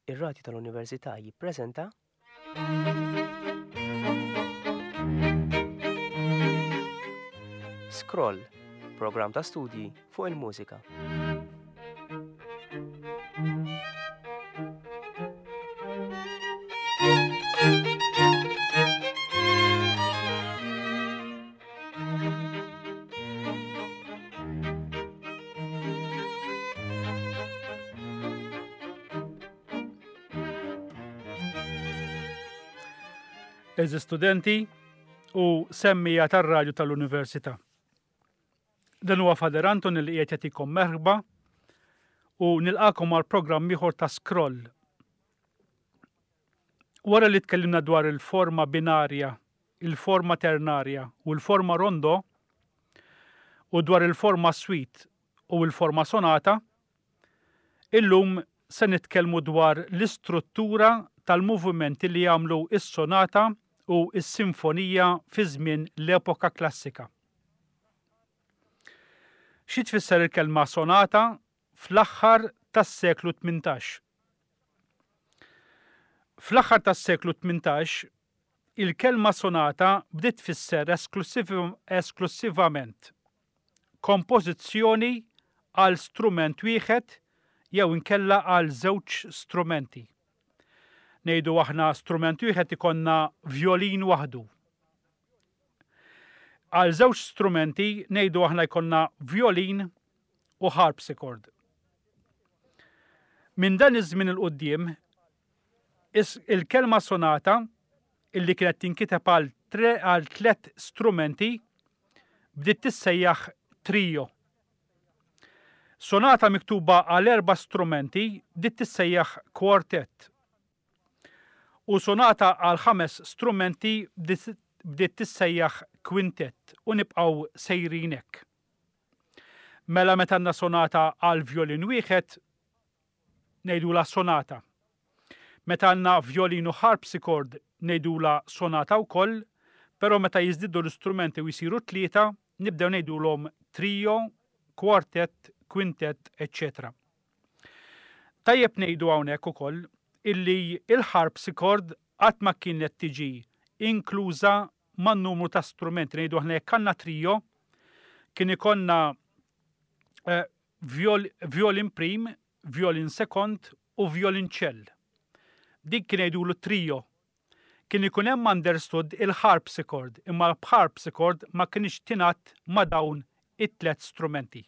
Ir-Radju tal-Università jippreżenta. Scroll, programm ta' studji fuq il-mużika. Eżi studenti u semmija tar-radju tal-Università. Dan huwa Fader Anton li qiegħed jagħtikom merħba u nilqakom għal programm ieħor ta' Scroll. Wara li tkellimna dwar il-forma binarja, il-forma ternarja u l-forma rondo u dwar il-forma suite u l-forma sonata, illum se nitkellmu dwar l-istruttura tal-movimenti li jagħmlu s-sonata u s-sinfonija fi żmien l-epoka klassika. Xi tfisser il-kelma sonata fl-aħħar tas-seklu 18? Fl-aħħar tas-seklu 18, il-kelma sonata bdiet tfisser esklussivament kompożizzjoni għal strument wieħed jew inkella għal żewġ strumenti. Ngħidu aħna strument wieħed ikollna vjolin waħdu. Għal żewġ strumenti ngħidu aħna jkollna vjolin u harpsichord. Minn dan iż-żmien 'il quddiem, il-kelma sonata illi kienet tinkiteb għal tlet strumenti bdiet tissejjaħ trio. Sonata miktuba għal erba' strumenti bdiet tissejjaħ quartet. U sonata għal ħames strumenti bdiet tissejjaħ quintet u nibqgħu sejrin hekk. Mela meta għandna sonata għal vjolin wieħed ngħidulha sonata. Meta għandna vjolin u harpsichord ngħidulha sonata wkoll, però meta jiżdiedu l-istrumenti u jsiru tlieta, nibdew ngħidulhom trio, quartet, quintet, eċċetera. Tajjeb ngħidu hawnhekk ukoll illi l-harpsichord qatt ma kienet tiġi inkluża man-numru ta' strumenti. Ngħidu aħna jekk għandna trio, kien ikollna eh, violin prim, violin sekond u violinċell. Dik kien jgħidulu trio. Kien ikun hemm understood il-harpsichord, imma l-harpsichord ma kienx tingħadd ma' dawn it-tlet strumenti.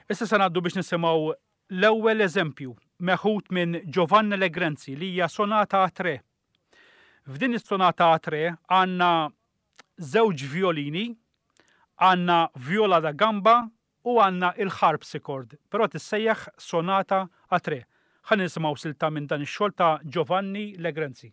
Issa se ngħaddu biex nisimgħu l-ewwel eżempju meħud minn Giovanni Legrenzi li hija sonata a tre. F'din is-sonata a tre għandna żewġ vjolini, għandna viola da gamba u għandna il-harpsichord, però tissejjaħ sonata a tre. Ħa nisimgħu silta minn dan ix-xogħol ta' Giovanni Legrenzi.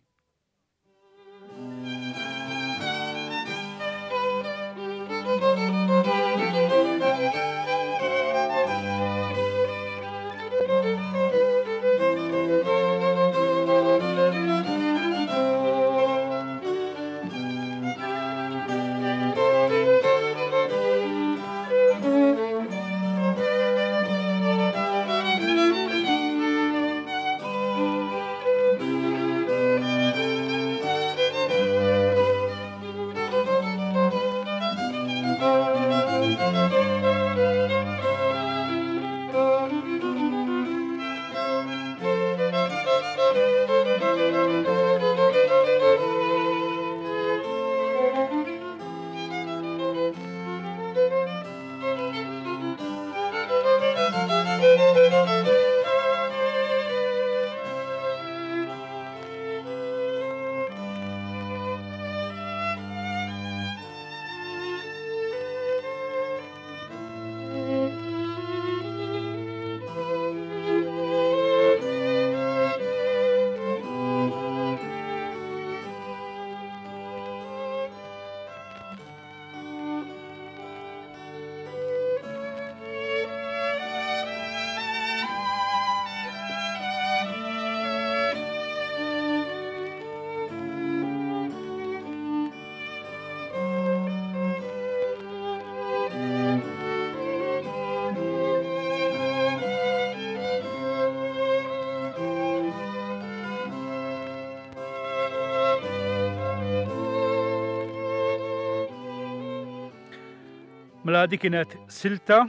Mela dik kienet silta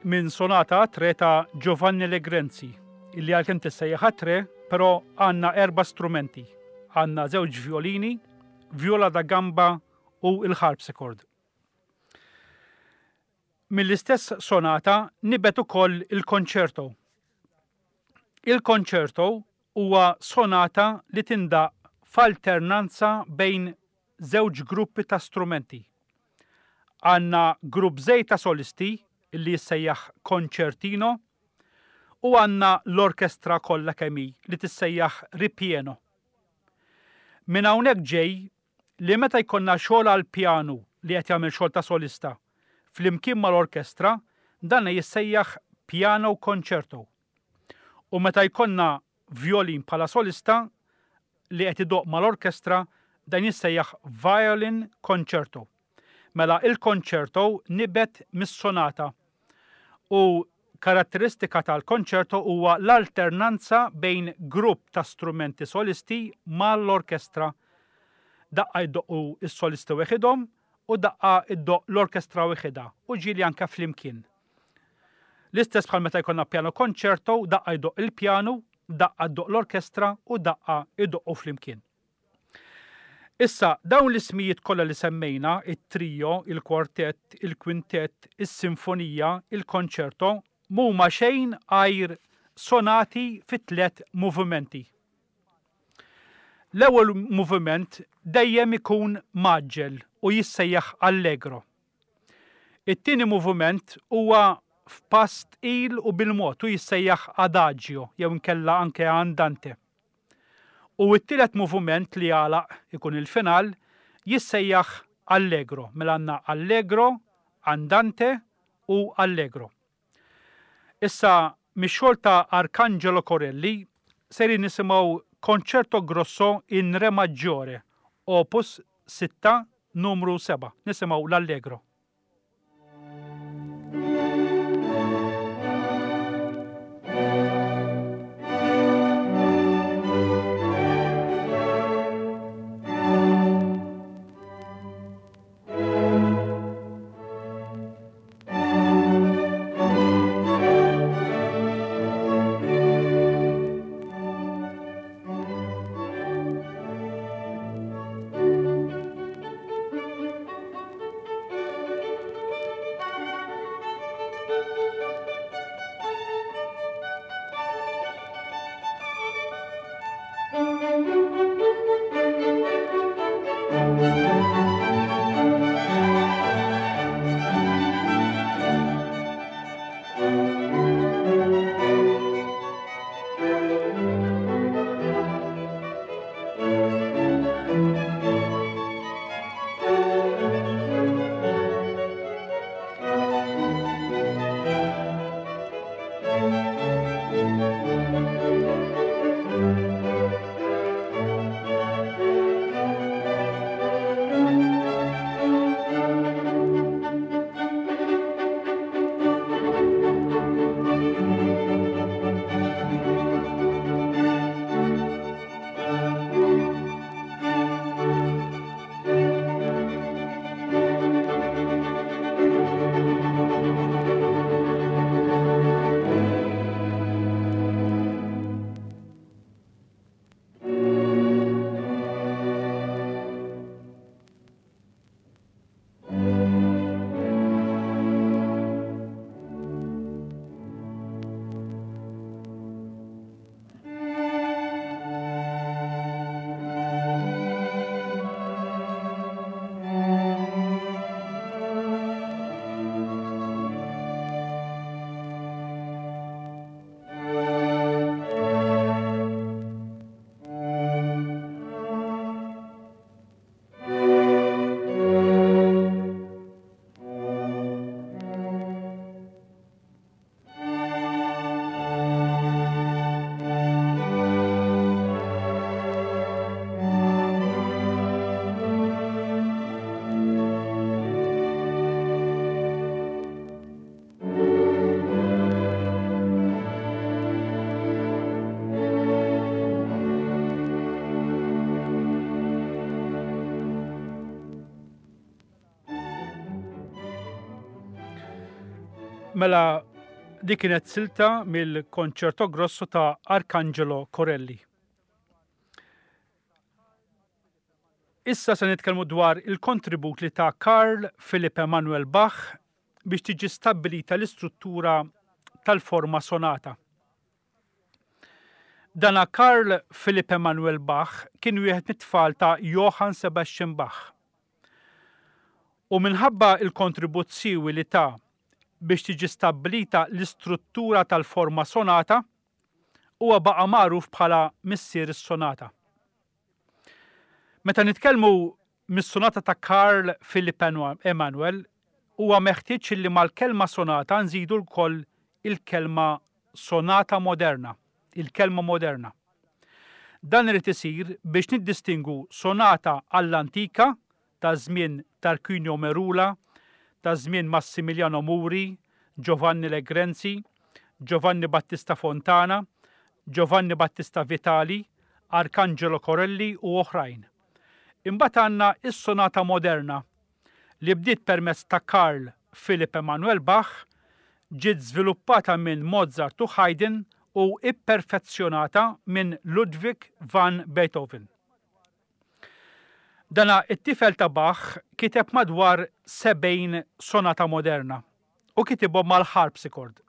minn sonata a tre ta' Giovanni Legrenzi, illi għalkemm tissejjaħ a tre, però għandna erba' strumenti. Għandna żewġ violini, viola da gamba u l-harpsichord. Mill-istess sonata nibet ukoll il-concerto. Il-concerto huwa sonata li tindaqq f'alternanza bejn żewġ gruppi ta' strumenti. Għandna grupp żgħir ta' solisti li jissejjaħ concertino u għandna l-orkestra kollha kemm hi li tissejjaħ ripieno. Minn hawnhekk ġej li meta jkollna xogħol għall-pjanu li qed jagħmel xogħol ta' solista flimkien mal-orkestra dan jissejjaħ piano concerto. U meta jkollna vjolin bħala solista li qed idoqq mal-orkestra dan jissejjaħ violin concerto. Mela il-concerto nibet mis-sonata u karatteristika tal-concerto huwa l-alternanza bejn grupp ta' strumenti solisti mal-orkestra. Daqqa jdoqqu s-solisti weħidhom u daqqa ddoqq l-orkestra weħidha u ġieli anke flimkien. L-istess bħal meta jkollna piano concerto, daqqa jdoqq il-pjanu, daqqa ddoqq l-orkestra u daqqa jdoqqu flimkien. Issa, dawn l-ismijiet kollha li semmejna, it-trio, il-kwartett, il-kwintett, is-sinfonija, il-konċerto, m'huma xejn għajr sonati fi tlett movimenti. L-ewwel moviment dejjem ikun mgħaġġel u jissejjaħ allegro. It-tieni moviment huwa f'pass tqil u bil-mod u jissejjaħ adagio jew inkella anke andante. U t-tielet moviment li jagħlaq ikun il-final jissejjaħ allegro, mela għandna allegro, andante u allegro. Issa mix-xogħol ta' Arcangelo Corelli sejrin nisimgħu Concerto Grosso in Re Maggiore, Opus 6, numru 7. Nisimgħu l-Allegro. Mela dik kienet silta mill-Concerto Grosso ta' Arcangelo Corelli. Issa se nitkellmu dwar il-kontribut li ta' Carl Philipp Emanuel Bach biex tiġi stabbilita l-istruttura tal-forma sonata. Dana Carl Philipp Emanuel Bach kien wieħed mit-tfal ta' Johann Sebastian Bach. U minħabba l-kontribut siewi li ta biex tiġi stabbilita l-istruttura tal-forma sonata, huwa baqa' magħruf bħala missier is-sonata. Meta nitkellmu mis-sonata ta' Carl Philipp Emanuel, huwa meħtieġ li mal-kelma sonata nżidu wkoll il-kelma sonata moderna, il-kelma moderna. Dan irid isir biex niddistingwu sonata għall-antika ta' żmien Tarquinio Merula, ta' żmien Massimiliano Muri, Giovanni Legrenzi, Giovanni Battista Fontana, Giovanni Battista Vitali, Arcangelo Corelli u oħrajn. Imbagħad għandna s-sonata moderna li bdiet permezz ta' Carl Philipp Emanuel Bach, ġiet żviluppata minn Mozart u Haydn u ipperfezzjonata minn Ludwig van Beethoven. Dana it-tifel ta' Bach kiteb madwar 70 sonata moderna u kitibhom mal-harpsichord.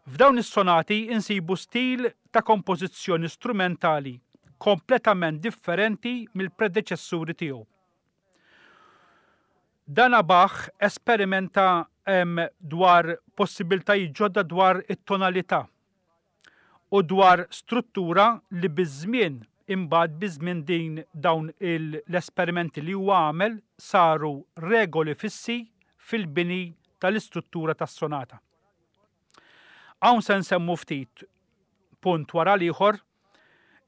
F'dawn is-sonati insibu stil ta' kompożizzjoni strumentali kompletament differenti mill-predeċessuri tiegħu. Dana Bach esperimenta dwar possibiltajiet ġodda dwar it-tonalità u dwar struttura li biż-żmien imbagħad biż-żmien din dawn l-esperimenti li huwa għamel saru regoli fissi fil-bini tal-istruttura tas-sonata. Hawn se nsemmu ftit, punt wara l-ieħor,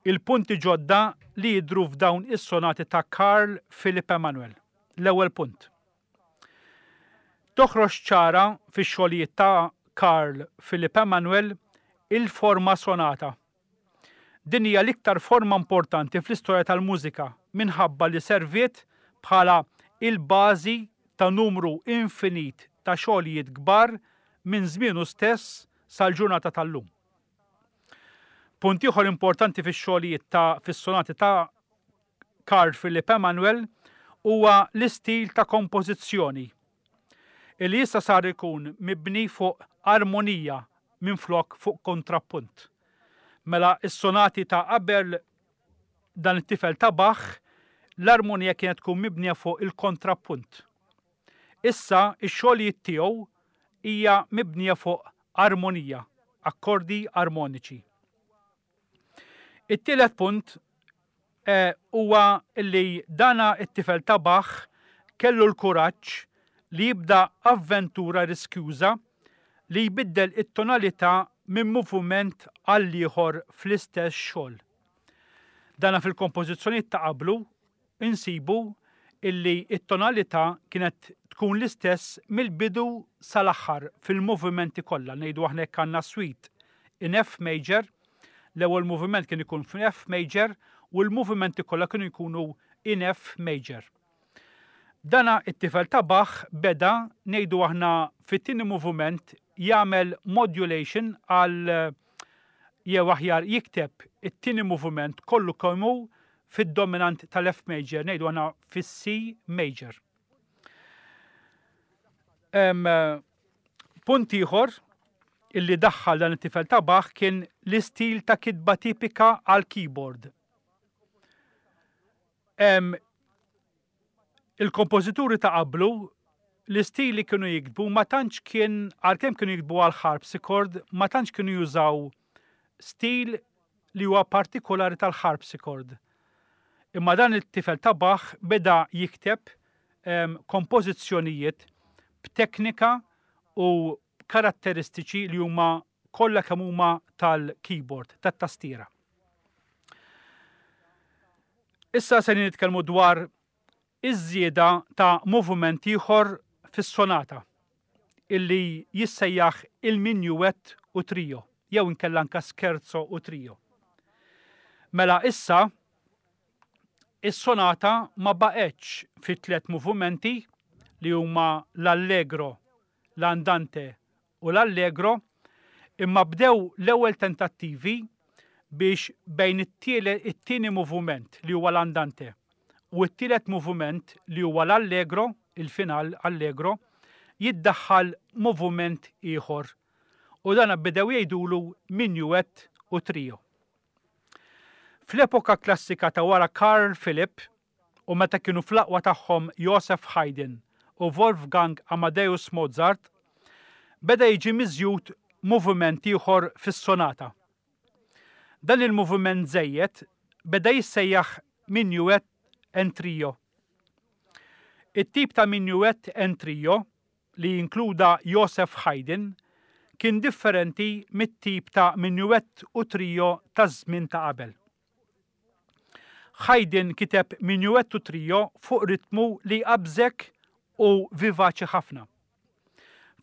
il-punti ġodda li jidhru f'dawn is-sonati ta' Carl Philipp Emanuel. L-ewwel punt. Toħroġ ċara fix-xogħlijiet ta' Carl Philipp Emanuel il-forma sonata. Din hija l-iktar forma importanti fl-istorja tal-mużika minħabba li serviet bħala il-bażi ta' numru infinit ta' xogħlijiet kbar minn żmienu stess sal-ġurnata tal-lum. Punt ieħor importanti fix-xogħlijiet ta' fis-sonati ta' Carl Philipp Emanuel huwa l-istil ta' kompożizzjoni illi issa sar ikun mibni fuq armonija minflok fuq kontrappunt. Mela s-sonati ta' qabel dan it-tifel ta' Bach, l-armonija kienet tkun mibnija fuq il-kontrappunt. Issa x-xogħlijiet tiegħu hija mibnija fuq armonija, akkordi armoniċi. It-tielet punt eh, huwa li dana it-tifel ta' Bach kellu l-kuraġġ li jibda avventura riskjuża li jbiddel it-tonalità minn moviment għal ieħor fl-istess xogħol. Dana fil-kompożizzjonijiet ta' qablu insibu illi t-tonalità kienet tkun l-istess mill-bidu sal-aħħar fil-movimenti kollha. Ngħidu aħna jekk għandna suite in F major, l-ewwel moviment kien ikun f'F major u l-movimenti kollha kienu jkunu in F major. Dana it-tifel ta' Bach beda ngħidu aħna fit-tieni moviment jagħmel modulation għal jew aħjar jikteb it-tieni moviment kollu kemm hu fid-dominant tal-F major, ngħidu aħna fis-C major. Punt ieħor illi daħħal dan it-tifel ta' Bach kien l-istil ta' kitba tipika għal keyboard. Il-kompożituri ta' qablu l-istil li kienu jiktbu ma tantx kien għalkemm kienu jiktbu għal harpsichord ma tantx kienu jużaw stil li huwa partikolari tal-harpsichord. Imma dan it-tifel ta' Bach beda jikteb kompożizzjonijiet b'teknika u karatteristiċi li huma kollha kemm huma tal-keyboard, tat-tastiera. Issa se nitkellmu dwar iż-żieda ta' moviment ieħor fis-sonata illi jissejjaħ il-minuet u trio jew inkella anka scherzo u trio. Mela issa is-sonata ma baqgħetx fi tliet movimenti li huma l-allegro, l-andante u l-Allegro, imma bdew l-ewwel tentattivi biex bejn it-tieni moviment li huwa l-Andante u t-tielet moviment li huwa l-Allegro, il-final Allegro, jiddaħħal moviment ieħor u dan bdew jgħidulu minuet u trio. Fl-epoka klassika ta' wara Carl Philipp u meta kienu fl-aqwa tagħhom Joseph Haydn u Wolfgang Amadeus Mozart, beda jiġi miżjud moviment ieħor fis-sonata. Dan il-moviment żejjed beda jissejjaħ minuet en trio. It-tip ta' minuet en trio li inkluda Joseph Haydn kien differenti mit-tip ta' minuet u trio taż-żmien ta' qabel. Haydn kiteb minuet u trio fuq ritmu li jqabbżek u vivaċi ħafna.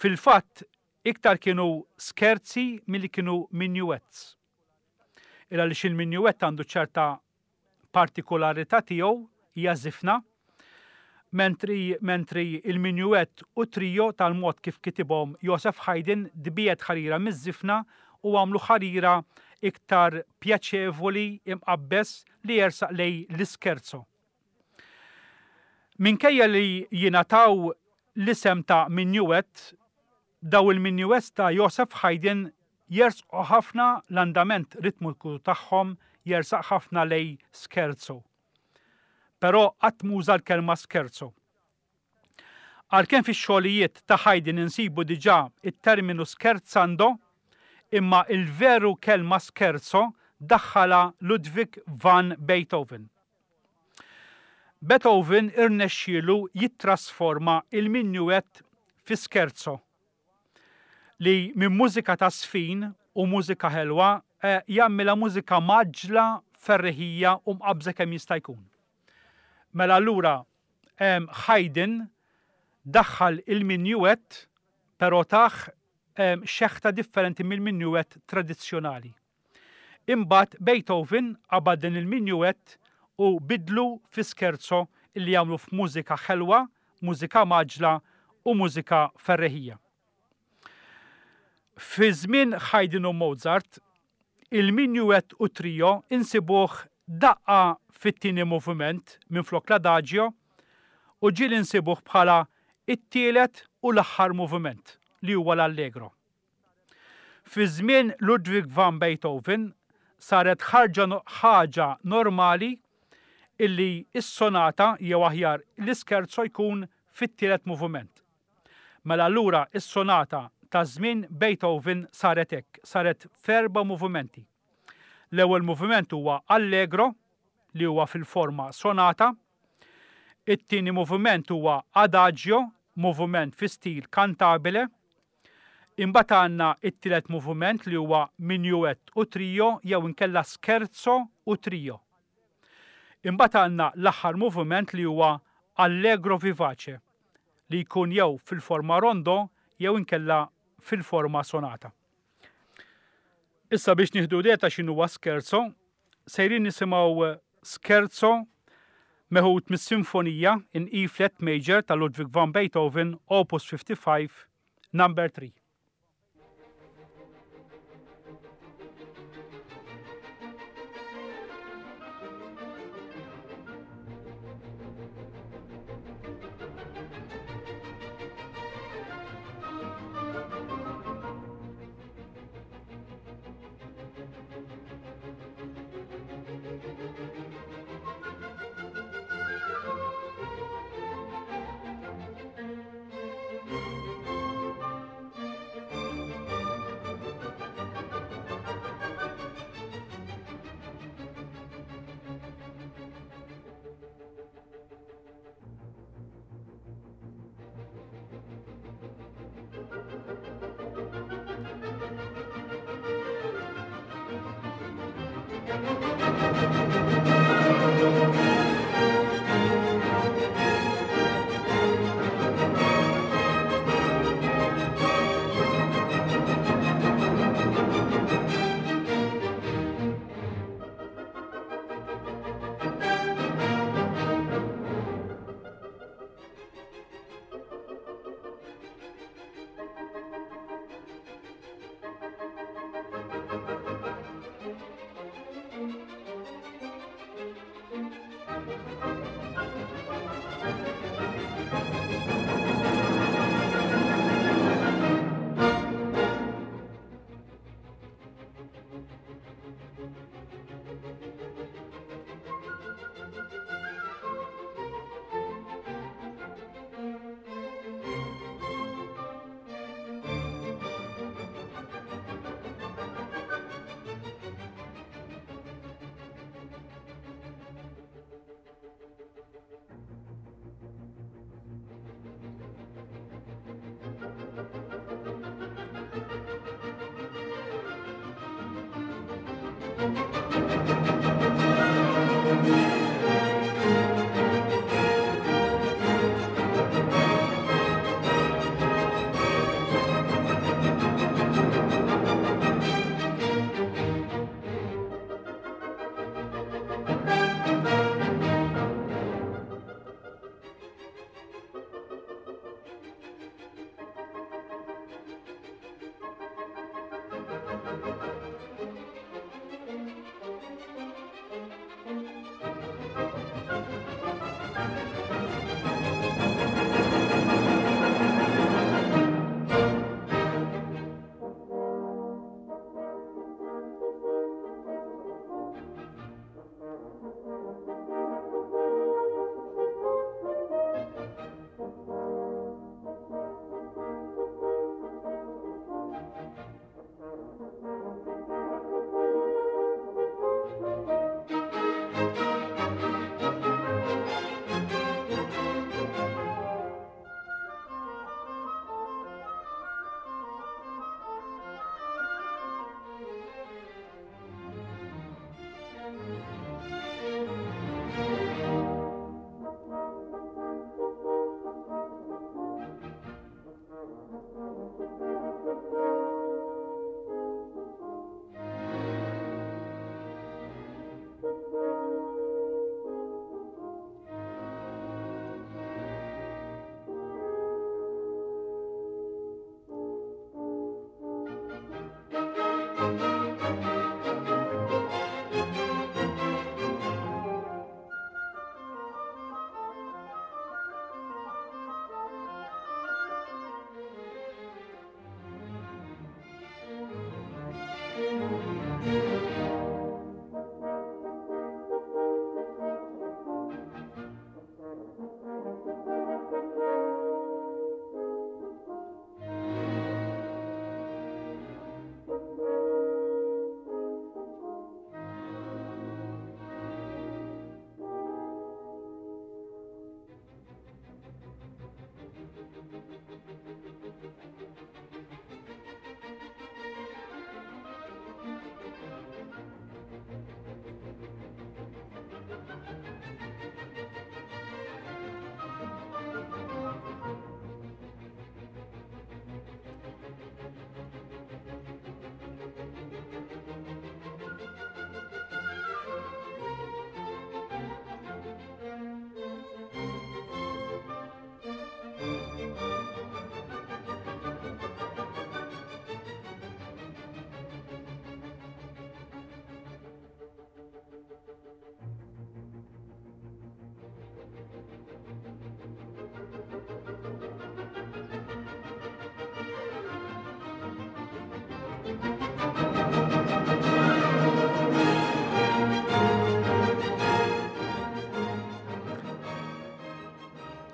Fil-fatt, iktar kienu scherzi milli kienu minuets. Il għaliex il-minuet għandu ċerta partikolarità tiegħu hija żifna, mentri mentri il-minuet u trio tal-mod kif kitibhom Joseph Haydn tbiegħed ħarira miż-żifna u għamlu ħarira iktar pjaċevoli imqabbeż li jersaq lejn l-ischerzo. Minkejja li jingħataw l-isem ta' minuet, daw il-minuets ta' Joseph Haydn jersqu ħafna l-andament ritmiku tagħhom jersaq ħafna lejn scherzo. Però qatt m'uża l-kelma scherzo. Għalkemm fix-xogħlijiet ta' Haydn insibu diġà t-terminu scherzando, imma il-veru kelma scherzo daħħalha Ludwig van Beethoven. Beethoven irnexxielu jittrasforma il-minuet fi scherzo, li minn mużika ta' żfin u mużika ħelwa jagħmilha mużika mgħaġġla, ferriħija u mqabbża kemm jista' jkun. Mela allura Haydn daħħal il-minuet però tah xeħta differenti mill-minuet tradizzjonali. Imbagħad Beethoven qabad din il-minuet u bidlu fi scherzo li jagħmlu f'mużika ħelwa, mużika mgħaġġla u mużika ferreħija. Fi żmien Haydn u Mozart, il-minuet u trio insibuh daqqa fit-tieni moviment minflok l-adagio u ġieli nsibuh bħala it-tielet u l-aħħar moviment li huwa l-allegro. Fi żmien Ludwig van Beethoven saret ħarġa ħaġa normali illi s-sonata jew aħjar l-ischerzo jkun fit-tielet moviment. Mela allura s-sonata ta' żmien Beethoven saret hekk, saret f'erba' movimenti. L-ewwel moviment huwa allegro li huwa fil-forma sonata, it-tieni moviment huwa adagio, moviment fi stil cantabile, Imbagħad għandna t-tielet moviment li huwa minuet u trio jew inkella scherzo u trio. Imbagħad għandna l-aħħar moviment li huwa allegro vivace li jkun jew fil-forma rondo jew inkella fil-forma sonata. Issa biex nieħdu idea ta' x'inhuwa scherzo, sejrin nisimgħu scherzo meħud mis-Sinfonija in E flat major ta' Ludwig van Beethoven, Opus 55, number 3.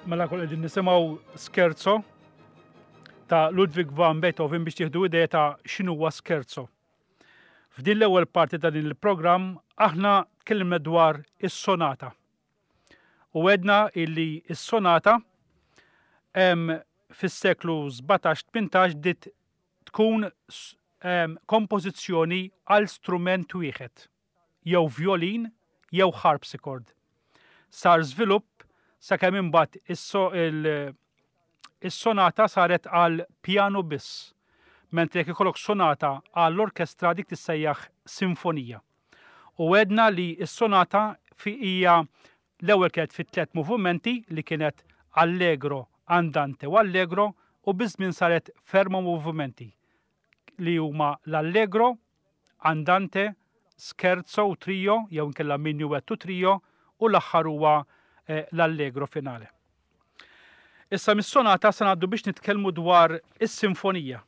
Mela kol qegħdin nisimgħu scherzo ta' Ludwig van Beethoven biex tieħdu idea ta' x'inhuwa scherzo. F'din l-ewwel parti ta' din il-programm aħna tkellimna dwar is-sonata. U għedna illi s-sonata fis-seklu 17-18 bdiet tkun kompożizzjoni għal strument wieħed, jew vjolin jew harpsichord. Sar żvilupp sakemm imbagħad is-sonata saret għal pjanu biss, mentri jekk ikollok sonata għall-orkestra dik tissejjaħ sinfonija. U għedna li s-sonata hija L-ewwel kienet fi tlett movumenti li kienet Allegro, Andante u Allegro u biż-żmien saret f'erma' movumenti li huma l-Allegro, Andante, Scherzo u Trio jew inkella Minuet u Trio u l-aħħar huwa l-Allegro finale. Issa mis-sonata se ngħaddu biex nitkellmu dwar is-sinfonija.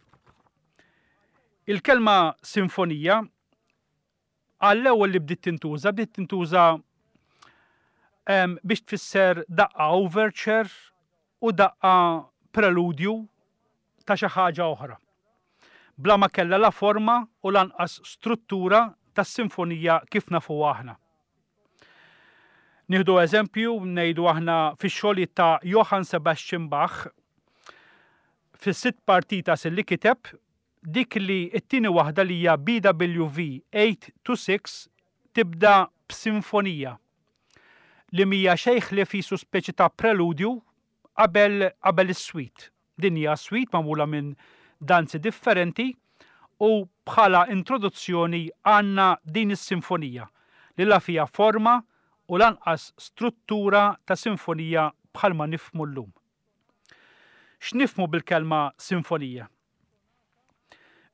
Il-kelma sinfonija Għall-ewwel li bdiet tintuża, bdiet tintuża biex tfisser daqqa overture u daqqa preludju ta' xi ħaġa oħra. Bla ma kellha la forma u lanqas struttura tas-sinfonija kif nafuha aħna. Nieħdu eżempju, ngħidu aħna fix-xogħlijiet ta' Johann Sebastian Bach, fis-sitt partitas li kiteb, dik li t-tieni waħda li hija BWV 826 tibda b'sinfonija li mhija xejn ħlief qisu speċi ta' preludju qabel qabel is-suite. Din hija suite magħmula minn danzi differenti u bħala introduzzjoni għandna din is-sinfonija li la fiha forma u lanqas struttura ta' sinfonija bħalma nifhmu llum. X'nifhmu bil-kelma sinfonija?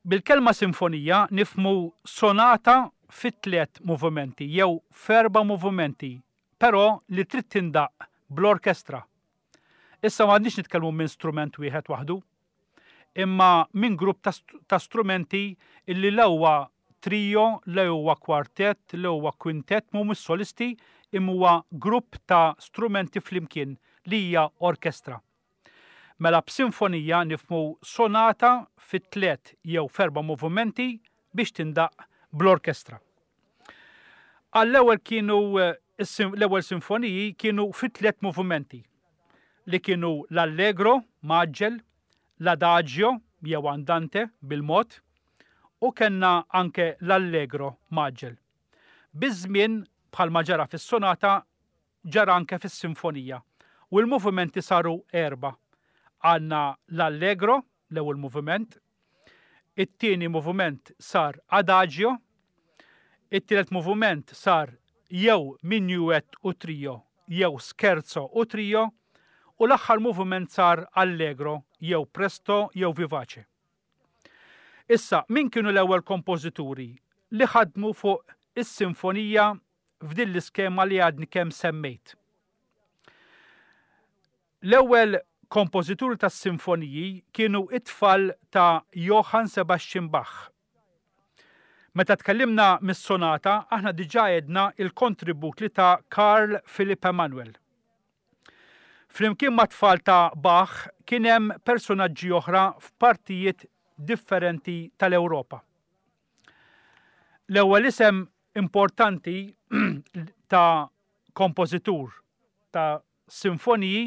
Bil-kelma sinfonija nifhmu sonata fi tliet movimenti jew f'erba' movimenti, però li trid tindaqq bl-orkestra. Issa m'għadniex nitkellmu minn strument wieħed waħdu, imma minn grupp ta' strumenti illi la huwa trio, la huwa kwartett, la huwa kwintett, mhumiex solisti, imma huwa grupp ta' strumenti flimkien li hija orkestra. Mela b'sinfonija nifhmu sonata fi tliet jew f'erba' movimenti biex tindaqq bl-orkestra. Għall-ewwel kienu l-ewwel sinfoniji kienu fi tliet movimenti li kienu l-allegro mgħaġġel, l-adagio jew andante bil-mod u kellna anke l-allegro mgħaġġel. Biż-żmien bħalma ġara fis-sonata ġara anke fis-sinfonija u l-movimenti saru erbgħa. Għandna l-Allegro, l-ewwel moviment, it-tieni moviment sar Adagio, it-tielet moviment sar jew Minuet u Trio jew Scherzo u Trio u l-aħħar moviment sar Allegro jew Presto jew Vivace. Issa, min kienu l-ewwel kompożituri li ħadmu fuq is-sinfonija f'din l-iskema li għadni kemm semmejt. L-ewwel kompożituri tas-sinfoniji kienu t-tfal ta' Johann Sebastian Bach. Meta tkellimna mis-sonata, aħna diġà għedna l-kontribut li ta Carl Philipp Emanuel. Flimkien mat-tfal ta' Bach kien hemm persunaġġi oħra f'partijiet differenti tal-Ewropa. L-ewwel isem importanti ta' kompożitur ta' sinfoniji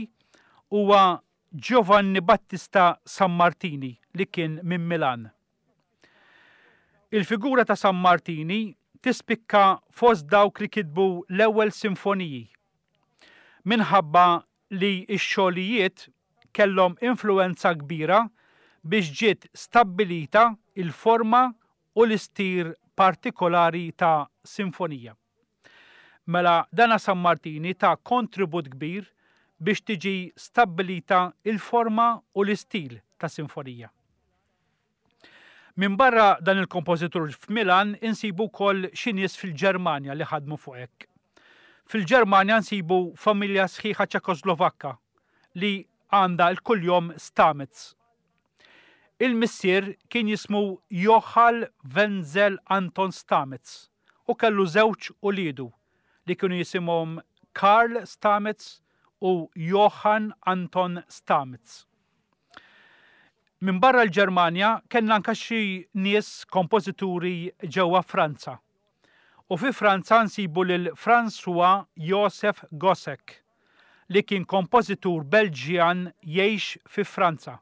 huwa Giovanni Battista Sammartini li kien minn Milan. Il-figura ta' Sammartini tispikka fost dawk li kitbu l-ewwel sinfoniji minħabba li x-xogħlijiet kellhom influwenza kbira biex ġiet stabbilita l-forma u l-istil partikolari ta' sinfonija. Mela dana Sammartini ta kontribut kbir biex tiġi stabbilita l-forma u l-istil ta' sinfonija. Minbarra dan il-kompożitur f'Milan insibu wkoll xi nies fil-Ġermanja li ħadmu fuq hekk. Fil-Ġermanja nsibu familja sħiħa Ċekoslovakka li għandha l-kuljom Stamitz. Il-missier kien jismu Johann Wenzel Anton Stamitz u kellu żewġ uliedu li kienu jisimhom Karl Stamitz u Johann Anton Stamitz. Minbarra l-Ġermanja kellna anke xi nies kompożituri ġewwa Franza. U fi Franza nsibu lil François Joseph Gossec li kien kompożitur Belġjan jgħix fi Franza.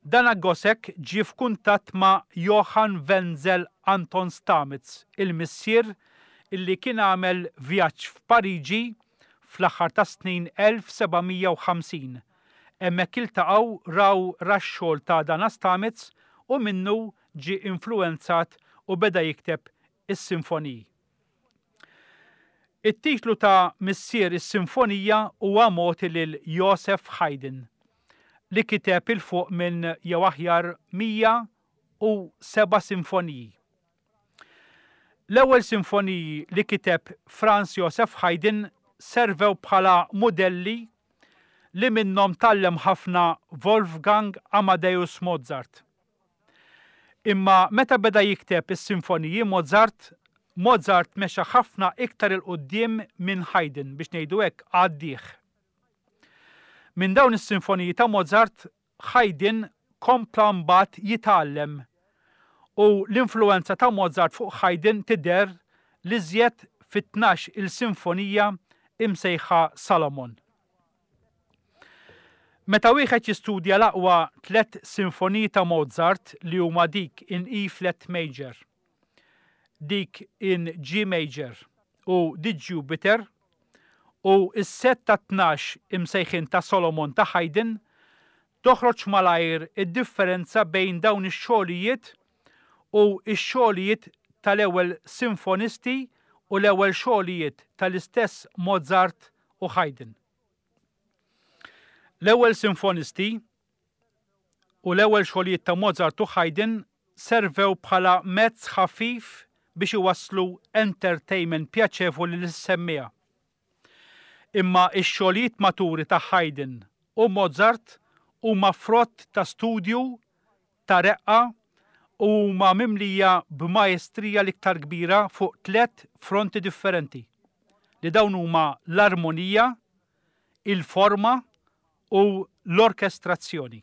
Dana Gossec ġie f'kuntatt ma' Johann Wenzel Anton Stamitz, il-missier illi kien għamel vjaġġ f'Pariġi fl-aħħar tas-snin 1750 Hemmhekk iltaqgħu, raw ra x-xogħol ta' Dana Stamitz u minnu ġie influwenzat u beda jikteb is-sinfoniji. It-titlu ta' Missier is-Sinfonija huwa mogħti lil Joseph Haydn, li kiteb 'il fuq minn jew aħjar 107 sinfoniji. L-ewwel sinfoniji li kiteb Franz Joseph Haydn servew bħala mudelli li minnhom tgħallem ħafna Wolfgang Amadeus Mozart. Imma meta beda jikteb is-sinfoniji Mozart, Mozart mexa ħafna iktar 'il quddiem minn Haydn, biex ngħidu hekk għaddieh. Minn dawn is-sinfoniji ta' Mozart Haydn kompla mbagħad jitgħallem u l-influwenza ta' Mozart fuq Haydn tidher l-iżjed fit-tnax il sinfonija imsejħa Salomon. Meta wieħed jistudja l-aqwa tlett sinfoniji ta' Mozart li huma dik in E flat major, dik in G major u The Jupiter u s-sett ta' 12 imsejħin ta' Solomon ta' Haydn, toħroġ malajr id-differenza bejn dawn ix-xogħlijiet u x-xogħlijiet tal-ewwel sinfonisti u l-ewwel xogħlijiet tal-istess Mozart u Haydn. L-ewwel sinfonisti u l-ewwel xogħlijiet ta' Mozart u Haydn servew bħala mezz ħafif biex iwasslu entertainment pjaċevoli lis-semmiegħa. Imma x-xogħlijiet maturi ta' Haydn u Mozart huma frott ta' studju ta' reqqa u huma mimlija b'maestrija l-iktar kbira fuq tlett fronti differenti, li dawn huma l-armonija, il-forma u l-orkestrazzjoni.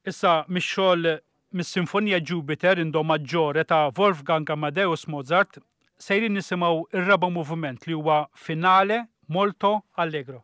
Issa mix-xogħol mis-Sinfonija Jupiter in Do Maggiore ta' Wolfgang Amadeus Mozart sejrin nisimgħu r-raba' moviment li huwa Finale molto allegro.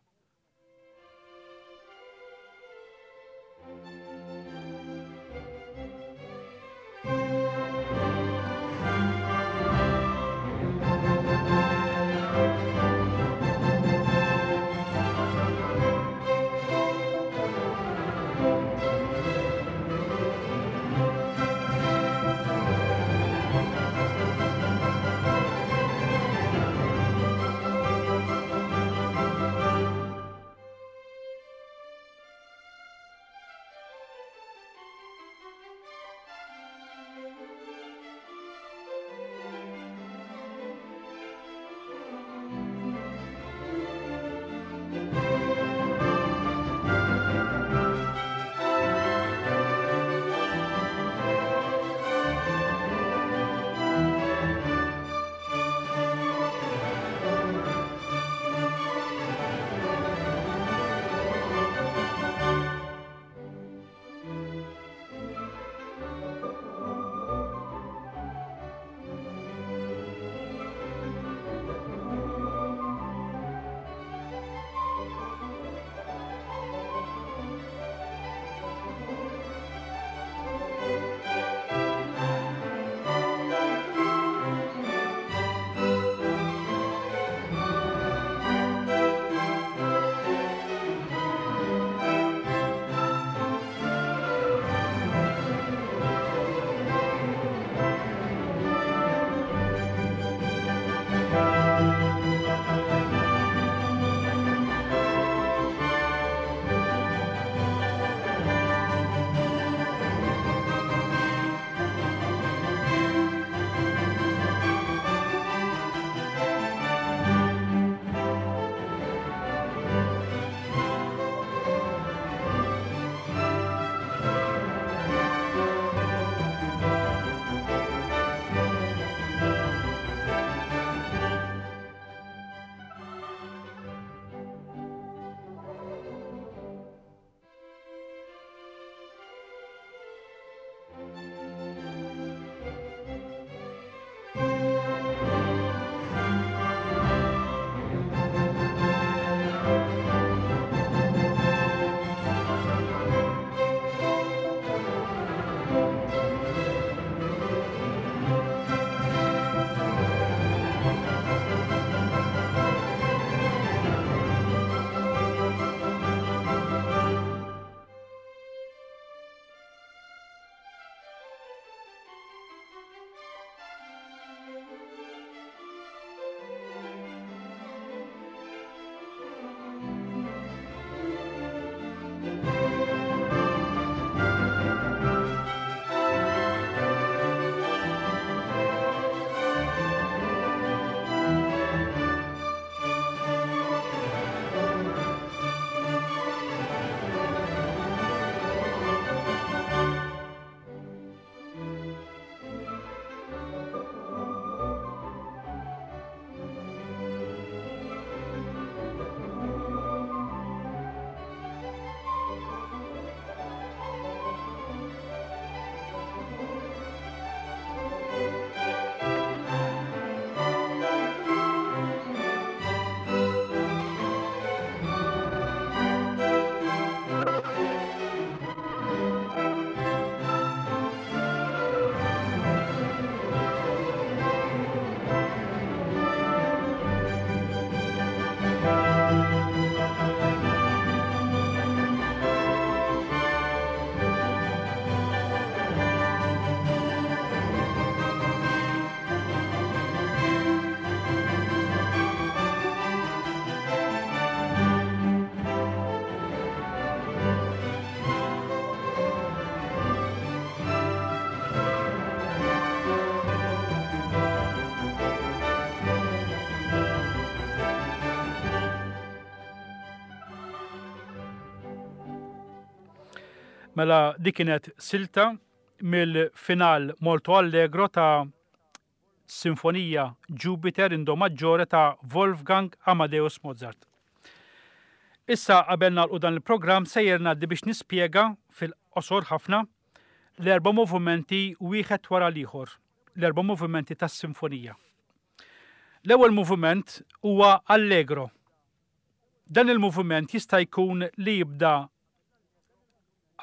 Mela dik kienet silta mill-final molto allegro ta' Sinfonija Jupiter in Do Maggiore ta' Wolfgang Amadeus Mozart. Issa qabel nagħlqu dan il-programm sejjer ngħaddi biex nispjega fil-qosor ħafna l-erba' movimenti wieħed wara l-ieħor, l-erba' movimenti tas-sinfonija. L-ewwel moviment huwa Allegro. Dan il-moviment jista' jkun li jibda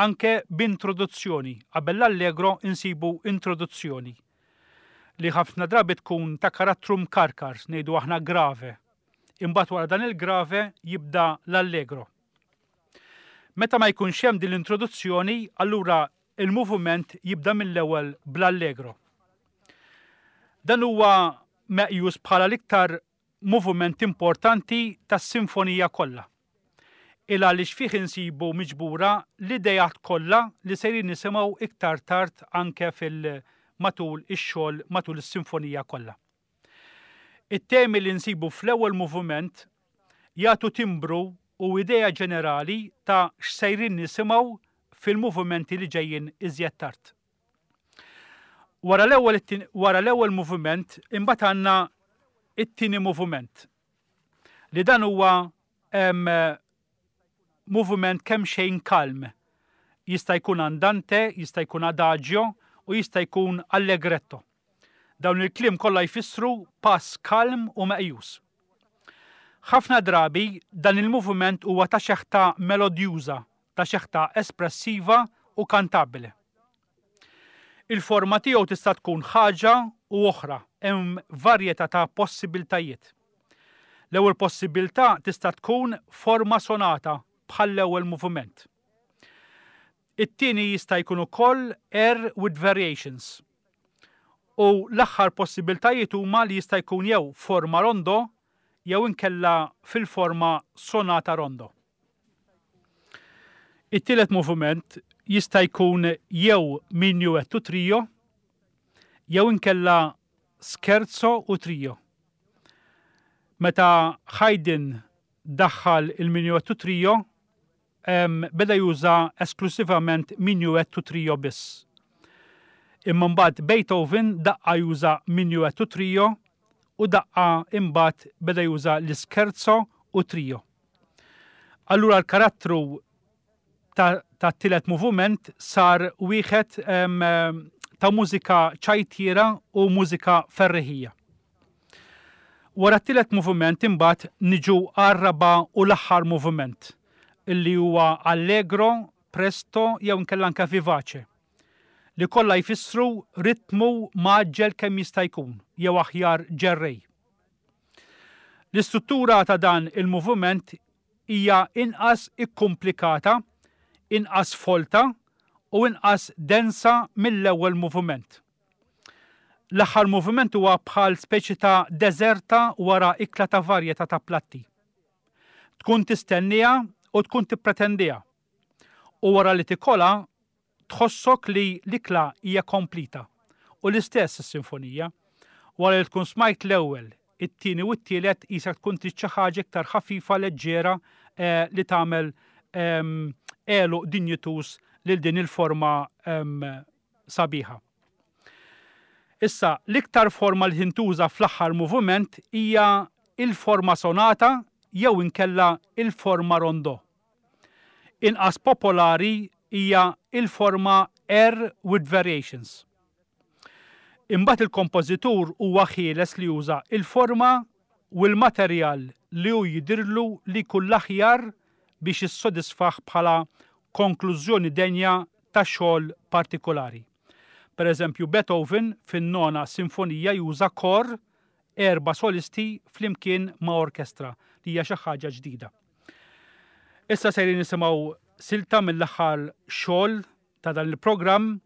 anke b'introduzzjoni. Qabel l-Allegro insibu introduzzjoni li ħafna drabi tkun ta' karattru mkarkar, ngħidu aħna grave. Imbagħad wara dan il-grave jibda l-Allegro. Meta ma jkunx hemm din l-introduzzjoni, allura il-moviment jibda mill-ewwel bl-Allegro. Dan huwa meqjus bħala l-iktar moviment importanti tas-sinfonija kollha. Il għaliex fih insibu miġbura l-ideat kollha li sejrin nisimgħu iktar tard anke fil matul ix-xogħol matul is-sinfonija kollha. It-temi li nsibu fl-ewwel moviment jagħtu timbru u idea ġenerali ta' x'sejrin nisimgħu fil-movimenti li ġejjin iżjed tard. Wara l-ewwel wara l-ewwel moviment imbagħad għandna it-tieni moviment. Li dan huwa moviment kemm xejn kalm. Jista' jkun andante, jista' jkun adagio u jista' jkun allegretto. Dawn il-kliem kollha jfissru pass kalm u meqjus. Ħafna drabi dan il-moviment huwa ta' xeħta melodjuża, ta' xeħta espressiva u kantabbile. Il-forma tiegħu tista' tkun ħaġa u oħra, hemm varjetà ta' possibiltajiet. L-ewwel possibiltà tista' tkun forma sonata bħall-ewwel moviment. It-tieni jista' jkun ukoll air with variations. U l-aħħar possibiltajiet huma li jista' jkun jew forma rondo jew inkella fil-forma sonata rondo. It-tielet moviment jista' jkun jew minuetto trio jew inkella scherzo u trio. Meta Haydn daħħal il-minuetto trio, beda juża esklusivament minuetto trio biss. Imma mbagħad Beethoven daqqa juża minuetto trio u daqqa imbagħad beda juża l-ischerzo u trio. Allura l-karattru tat-tielet moviment sar wieħed ta' mużika ċajtiera u mużika ferriħija. Wara t-tielet moviment imbagħad niġu għar-raba' u l-aħħar moviment illi huwa allegro, presto jew inkella anke vivace li kollha jfissru ritmu mgħaġġel kemm jista' jkun jew aħjar ġerrej. L-istruttura ta' dan il-moviment hija inqas ikkumplikata, inqas folta u inqas densa mill-ewwel moviment. L-aħħar moviment huwa bħal speċi ta' deżerta wara ikla ta' varjetà ta' platti. Tkun tistenniha u tkun tippretendiha. U wara li tikolha Tħossok li l-ikla hija komplita. U l-istess is-sinfonija. Wara li tkun smajt l-ewwel, it-tieni u t-tielet qisek tkun trid xi ħaġa iktar ħafifa, leġġera li tagħmel għeluq dinjituż lil din il-forma sabiħa. Issa, l-iktar forma li tintuża fl-aħħar moviment hija il-forma sonata jew inkella il-forma rondò. Inqas popolari hija il-forma air with variations. Imbagħad il-kompożitur huwa ħieles li juża il-forma u l-materjal li hu jidhirlu li jkun l-aħjar biex jissodisfah bħala konklużjoni denja ta' xogħol partikulari. Per eżempju, Beethoven fin-Nona Sinfonija juża kor erba' solisti flimkien ma' orkestra, li hija xi ħaġa ġdida. Issa sejrin nisimgħu silta mill-aħħar xogħol ta' dan il-programm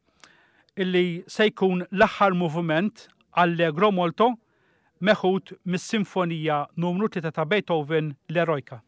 illi se jkun l-aħħar moviment Allegro molto meħud mis-Sinfonija numru 3 ta' Beethoven l-Eroica.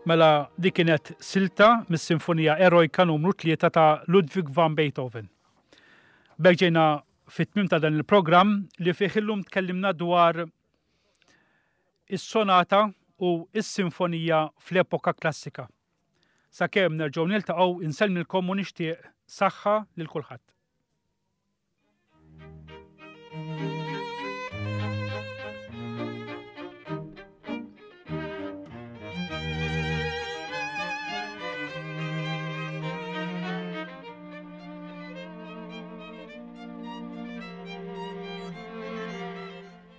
Mela dik kienet silta mis-Sinfonija Erojka numru 3 ta' Ludwig van Beethoven. B'hekk ġejna fit-tmiem ta' dan il-programm li fih illum tkellimna dwar is-sonata u s-sinfonija fl-epoka klassika. Sakemm nerġgħu niltaqgħu insellmilkom u nixtieq saħħa lil kulħadd.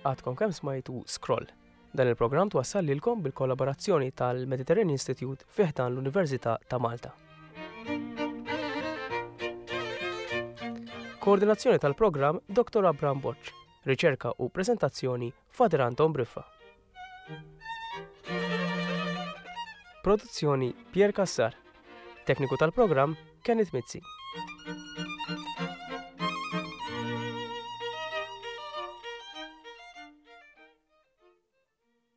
Għadkom kemm smajtu Scroll. Dan il-programm twassal lilkom bil-kollaborazzjoni tal-Mediterranean Institute fi ħdan l-Università ta' Malta. Koordinazzjoni tal-programm Dr. Abraham Borg. Riċerka u prezentazzjoni Father Anton Briffa. Produzzjoni Pier Cassar. Tekniku tal-programm Kenneth Mizzi.